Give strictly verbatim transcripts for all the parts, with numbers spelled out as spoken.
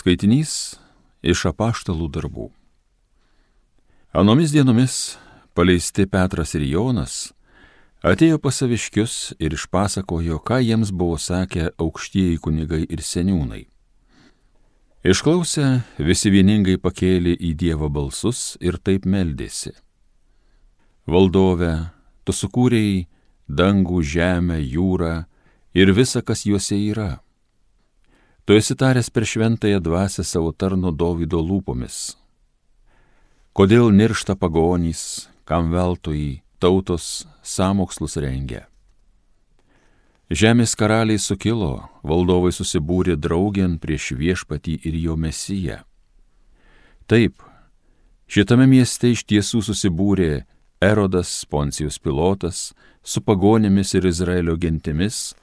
Skaitinys iš apaštalų darbų. Anomis dienomis paleisti Petras ir Jonas atėjo pas saviškius ir išpasakojo, ką jiems buvo sakę aukštieji kunigai ir seniūnai. Išklausę, visi vieningai pakėlė į Dievą balsus ir taip meldėsi. Valdove, tu sukūrei dangų, žemę, jūrą ir visa, kas juose yra. Tu esi taręs per šventąją dvasią savo tarno Dovydo lūpomis. Kodėl niršta pagonys, kam veltui tautos sąmokslus rengia? Žemės karaliai sukilo, valdovai susibūrė draugėn prieš viešpatį ir jo mesiją. Taip, šitame mieste iš tiesų susibūrė Erodas, Poncijus Pilotas, su pagonėmis ir Izraelio gentimis,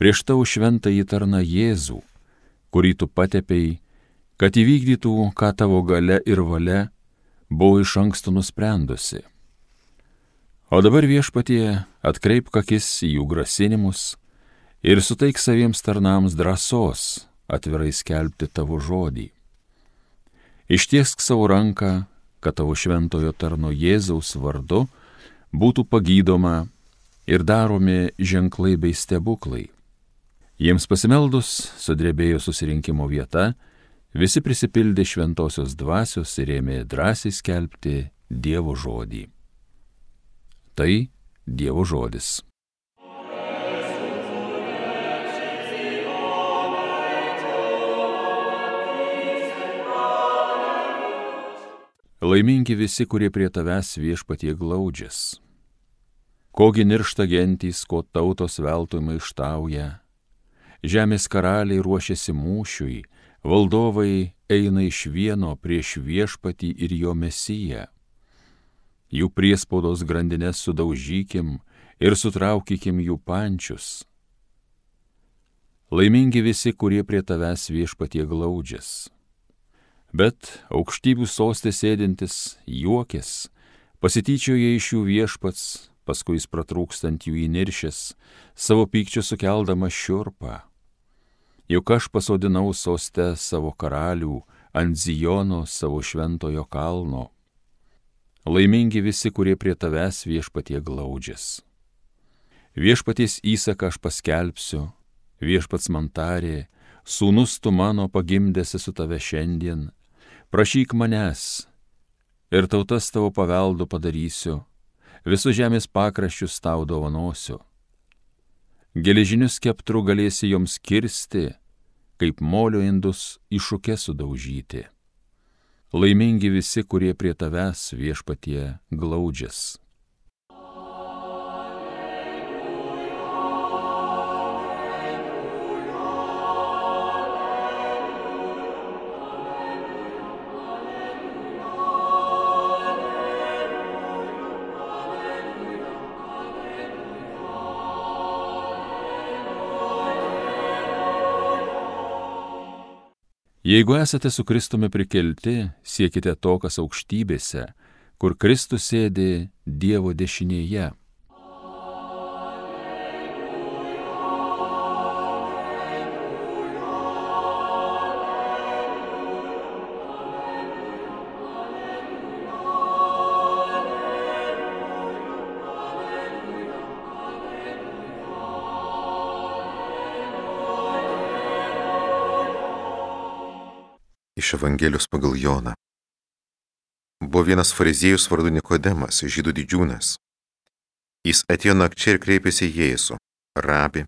prieš tavo šventąjį tarną Jėzų, kurį tu patepei, kad įvykdytų, ką tavo galia ir valia buvo iš anksto nusprendusi. O dabar viešpatie atkreipk akis į jų grasinimus ir suteik saviems tarnams drąsos atvirai skelbti tavo žodį. Ištiesk savo ranką, kad tavo šventojo tarno Jėzaus vardu būtų pagydoma ir daromi ženklai bei stebuklai. Jiems pasimeldus sudrebėjo susirinkimo vieta, visi prisipildė šventosios dvasios ir ėmė drąsiai skelbti Dievo žodį. Tai Dievo žodis. Laimingi visi, kurie prie tavęs viešpatie glaudžias. Kogi niršta gentys, ko tautos veltui maištauja. Žemės karaliai ruošiasi mūšiui, valdovai eina iš vieno prieš viešpatį ir jo mesiją. Jų priespaudos grandines sudaužykim ir sutraukykim jų pančius. Laimingi visi, kurie prie tavęs viešpatie glaudžias. Bet aukštybių sostė sėdintis juokės, pasityčioja iš jų viešpats, paskui jis pratrūkstant jų įniršęs, savo pykčio sukeldama šiurpą. Juk aš pasodinau soste savo karalių, ant Zijono savo šventojo kalno. Laimingi visi, kurie prie tavęs viešpatie glaudžias. Viešpaties įsaką aš paskelbsiu, viešpats man tarė, sūnus tu mano pagimdėsi su tave šiandien, prašyk manęs, ir tautas tavo paveldu padarysiu, visus žemės pakraščius tau dovanosiu. Geležinius skeptrų galėsi joms kirsti, kaip molio indus iššūke sudaužyti. Laimingi visi, kurie prie tavęs viešpatie glaudžias. Jeigu esate su Kristumi prikelti, siekite to, kas aukštybėse, kur Kristus sėdi Dievo dešinėje. Iš Evangelijos pagal Joną. Buvo vienas fariziejus vardu Nikodemas, žydų didžiūnas. Jis atėjo nakčia ir kreipėsi į Jėzų. Rabi,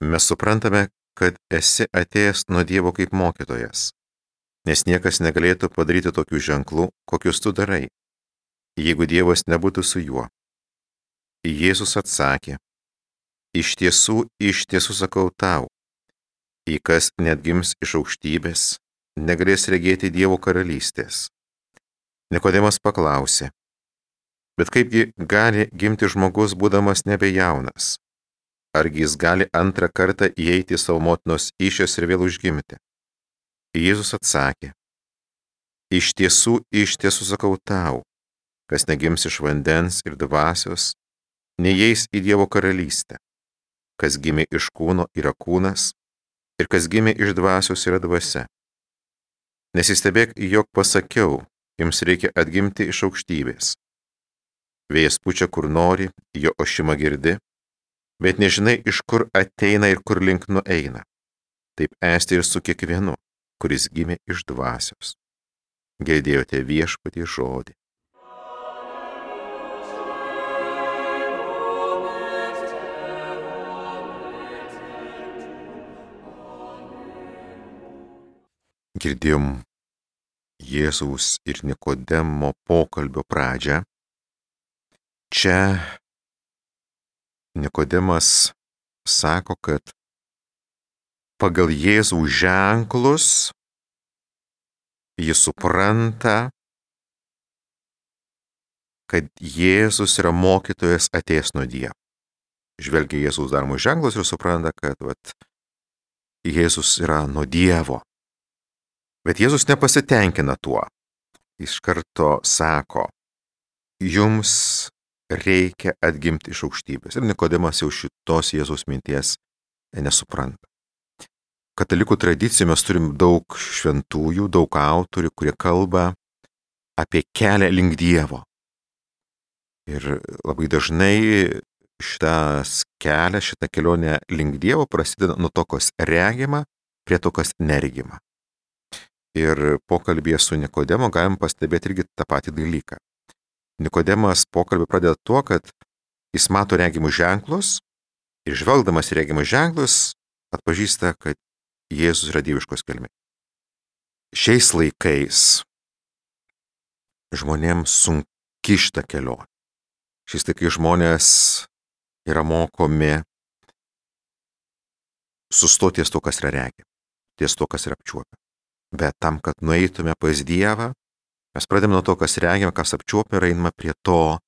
mes suprantame, kad esi atėjęs nuo Dievo kaip mokytojas, nes niekas negalėtų padaryti tokių ženklų, kokius tu darai, jeigu Dievas nebūtų su juo. Jėzus atsakė, iš tiesų, iš tiesų sakau tau, į kas net gims iš aukštybės, negalės regėti Dievo karalystės. Nikodemas paklausė, bet kaipgi gali gimti žmogus, būdamas nebejaunas? Argi jis gali antrą kartą įeiti į savo motinos įsčias ir vėl užgimti? Jėzus atsakė, iš tiesų, iš tiesų sakau tau, kas negims iš vandens ir dvasios, neįeis į Dievo karalystę. Kas gimė iš kūno yra kūnas, ir kas gimė iš dvasios yra dvasia. Nesistebėk, jog pasakiau, jums reikia atgimti iš aukštybės. Vėjas pučia kur nori, jo ošimą girdi, bet nežinai, iš kur ateina ir kur link nueina. Taip esti ir su kiekvienu, kuris gimė iš dvasios. Girdėjote Viešpaties žodį. Girdėjom Jėzaus ir Nikodemo pokalbio pradžią. Čia Nikodemas sako, kad pagal Jėzaus ženklus jis supranta, kad Jėzus yra mokytojas atėjęs nuo Dievo. Žvelgia Jėzaus daromus ženklus ir supranta, kad vat, Jėzus yra nuo Dievo. Bet Jėzus nepasitenkina tuo. Iš karto sako, jums reikia atgimti iš aukštybės. Ir Nikodemas jau šitos Jėzaus minties nesupranta. Katalikų tradicijų mes turim daug šventųjų, daug autorių, kurie kalba apie kelią link Dievo. Ir labai dažnai šitas kelias, šita kelionė link Dievo prasideda nuo to, kas regima, prie to, kas neregima. Ir pokalbėje su Nikodemu galim pastebėti irgi tą patį dalyką. Nikodemas pokalbį pradeda tuo, kad jis mato regimus ženklus ir žvelgdamas į regimus ženklus atpažįsta, kad Jėzus yra dieviškos kilmės. Šiais laikais žmonėms sunki šita kelionė. Šiais laikais žmonės yra mokomi sustoti ties to, kas yra regima, ties to, kas yra apčiuopiama. Bet tam, kad nueitume pas Dievą, mes pradėme nuo to, kas regime, kas apčiuopia, ir einame prie to,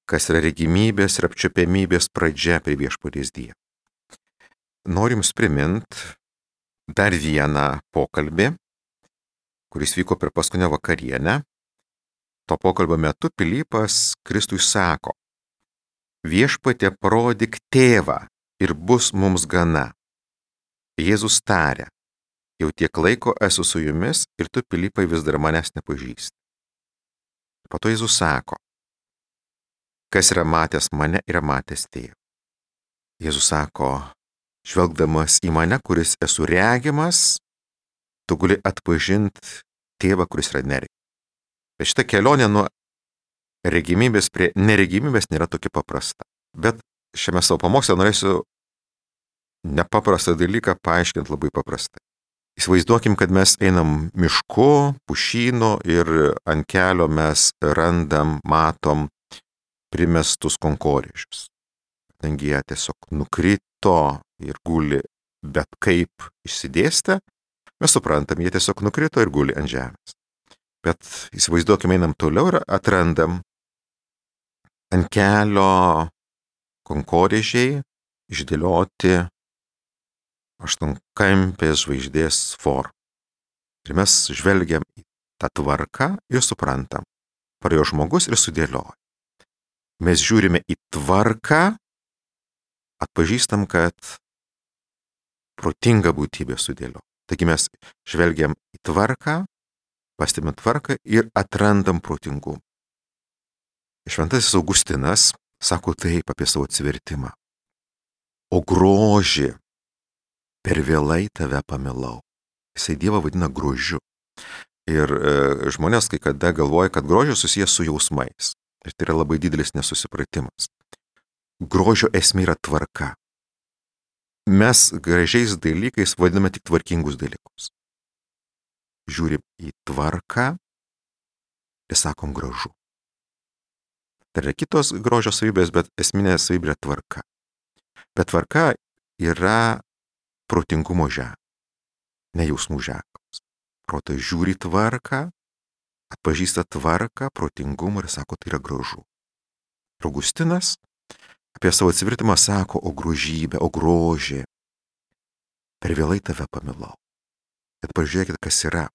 kas yra regimybės ir apčiuopiamybės pradžia prie Viešpaties Dievo. Noriu jums primint dar vieną pokalbį, kuris vyko per paskutinę vakarienę. To pokalbio metu Pilypas Kristui sako, Viešpatie, parodyk tėvą ir bus mums gana. Jėzus tarė, jau tiek laiko esu su jumis ir tu, Pilypai, vis dar manęs nepažįsti. Po to Jėzus sako, kas yra matęs mane, yra matęs tėvą. Jėzus sako, žvelgdamas į mane, kuris esu regimas, tu gali atpažinti tėvą, kuris yra neregimas. Bet šita kelionė nuo regimybės prie neregimybės nėra tokia paprasta. Bet šiame savo pamoksle norėsiu nepaprastą dalyką paaiškinti labai paprastai. Įsivaizduokim, kad mes einam mišku, pušynu ir ant kelio mes randam, matom primestus konkorėžius. Kadangi jie tiesiog nukrito ir guli bet kaip išsidėstę, mes suprantam, jie tiesiog nukrito ir guli ant žemės. Bet įsivaizduokim, einam toliau ir atrandam ant kelio konkorėžiai išdėlioti aštuonkampės žvaigždės formą. Ir mes žvelgiam į tą tvarką ir suprantam, parėjo žmogus ir sudėlioja. Mes žiūrime į tvarką, atpažįstam, kad protinga būtybė sudėlio. Taigi mes žvelgiam į tvarką, pastebim tvarką ir atrandam protingumą. Šventasis Augustinas sako taip apie savo atsivertimą. O grožį, per vėlai tave pamilau. Jisai Dievą vadina grožiu. Ir e, žmonės kai kada galvoja, kad grožis susijęs su jausmais. Ir tai yra labai didelis nesusipratimas. Grožio esmė yra tvarka. Mes gražiais dalykais vadiname tik tvarkingus dalykus. Žiūrim į tvarką ir sakom gražu. Tai yra kitos grožio savybės, bet esminė savybė yra tvarka. Bet tvarka yra protingumo ženklas, ne jausmų ženklas. Protas žiūri tvarką, atpažįsta tvarką, protingumą ir sako, tai yra gražu. Augustinas apie savo atsivertimą sako, o grožybė, o grožė, per vėlai tave pamilau. Bet pažiūrėkite, kas yra.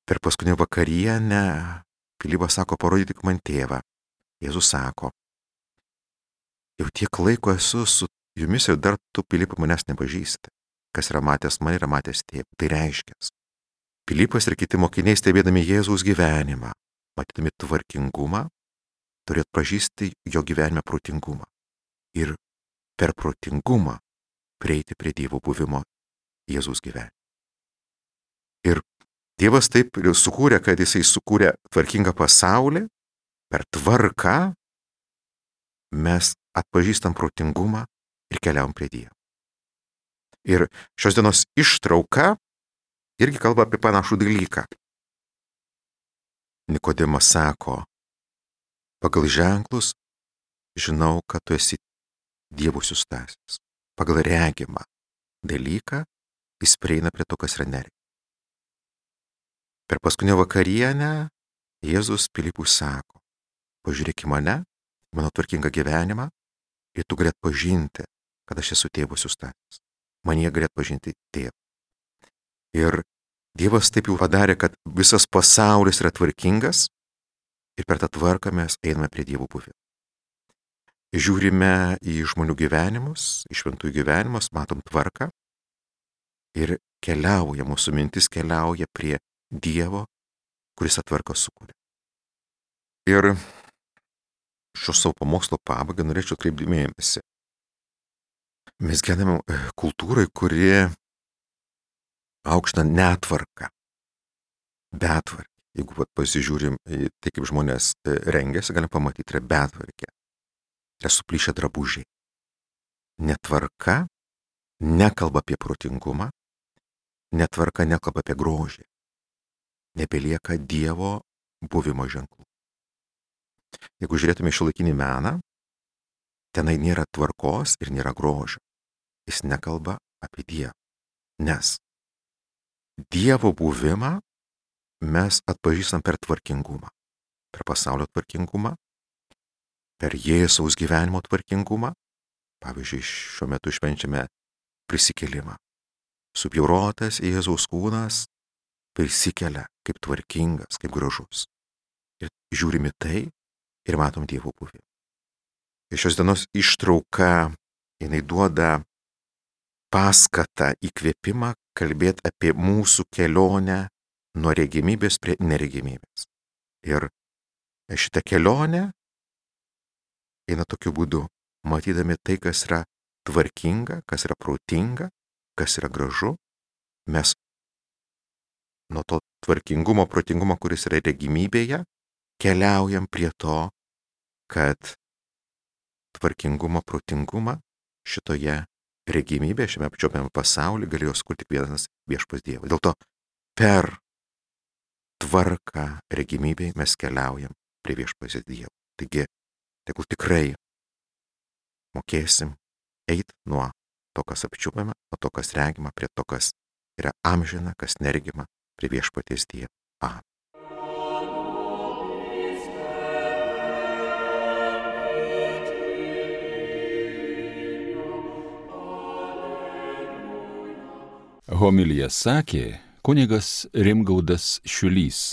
Per paskutinę vakarienę Pilypas sako, parodyk man tėvą. Jėzus sako, jau tiek laiko esu su jumis ir dar tu, Pilypai, manęs nepažįsti. Kas yra matęs mane, yra matęs tėvą. Tai reiškia, Pilypas ir kiti mokiniai, stebėdami Jėzaus gyvenimą, matydami tvarkingumą, turėjo atpažįsti jo gyvenime protingumą ir per protingumą prieiti prie Dievo buvimo Jėzaus gyvenime. Ir Dievas taip sukūrė, kad jisai sukūrė tvarkingą pasaulį, per tvarką mes atpažįstam protingumą ir keliaujam prie Dievo. Ir šios dienos ištrauka irgi kalba apie panašų dalyką. Nikodemas sako, pagal ženklus žinau, kad tu esi Dievo siųstasis. Pagal regimą dalyką jis prieina prie to, kas yra neregima. Per paskutinę vakarienę Jėzus Pilypui sako, pažiūrėk į mane, mano tvarkingą gyvenimą ir tu gali atpažinti, kad aš esu Tėvo siųstasis. Manyje gali atpažinti Tėvą. Ir Dievas taip jau padarė, kad visas pasaulis yra tvarkingas ir per tą tvarką mes einame prie Dievo buvimo. Žiūrime į žmonių gyvenimus, į šventųjų gyvenimus, matom tvarką ir keliauja, mūsų mintis keliauja prie Dievo, kuris atvarką sukuria. Ir šio savo pamokslo pabaigą norėčiau atkreipti dėmesį. Mes gyvename kultūrai, kuri aukština netvarką, betvarkę. Jeigu vat, pasižiūrim į tai, kaip žmonės rengiasi, galim pamatyti, yra betvarkė. Yra suplyšę drabužiai. Netvarka nekalba apie protingumą, netvarka nekalba apie grožį. Nebelieka Dievo buvimo ženklų. Jeigu žiūrėtume šiuolaikinį meną, tenai nėra tvarkos ir nėra grožio. Jis nekalba apie Dievą. Nes Dievo buvimą mes atpažįstam per tvarkingumą. Per pasaulio tvarkingumą, per Jėzaus gyvenimo tvarkingumą. Pavyzdžiui, šiuo metu švenčiame prisikėlimą. Subjaurotas Jėzaus kūnas prisikelia kaip tvarkingas, kaip gražus. Ir žiūrime tai ir matom Dievo buvimą. Ir šios dienos ištrauka, jinai duoda paskatą, įkvėpimą kalbėti apie mūsų kelionę nuo regimybės prie neregimybės. Ir šitą kelionę eina tokiu būdu, matydami tai, kas yra tvarkinga, kas yra protinga, kas yra gražu, mes nuo to tvarkingumo, protingumo, kuris yra regimybėje, keliaujam prie to, kad tvarkingumą, protingumą šitoje regimybėje, šiame apčiopiame pasaulyje galėjo skurti tik vienas viešpats Dievas. Dėl to per tvarką regimybėje mes keliaujam prie viešpats Dievo. Taigi, tegul tikrai mokėsim eiti nuo to, kas apčiupiama, nuo to, kas regima, prie to, kas yra amžina, kas neregima, prie viešpaties Dievo. Amen. Homiliją sakė kunigas Rimgaudas Šiulys.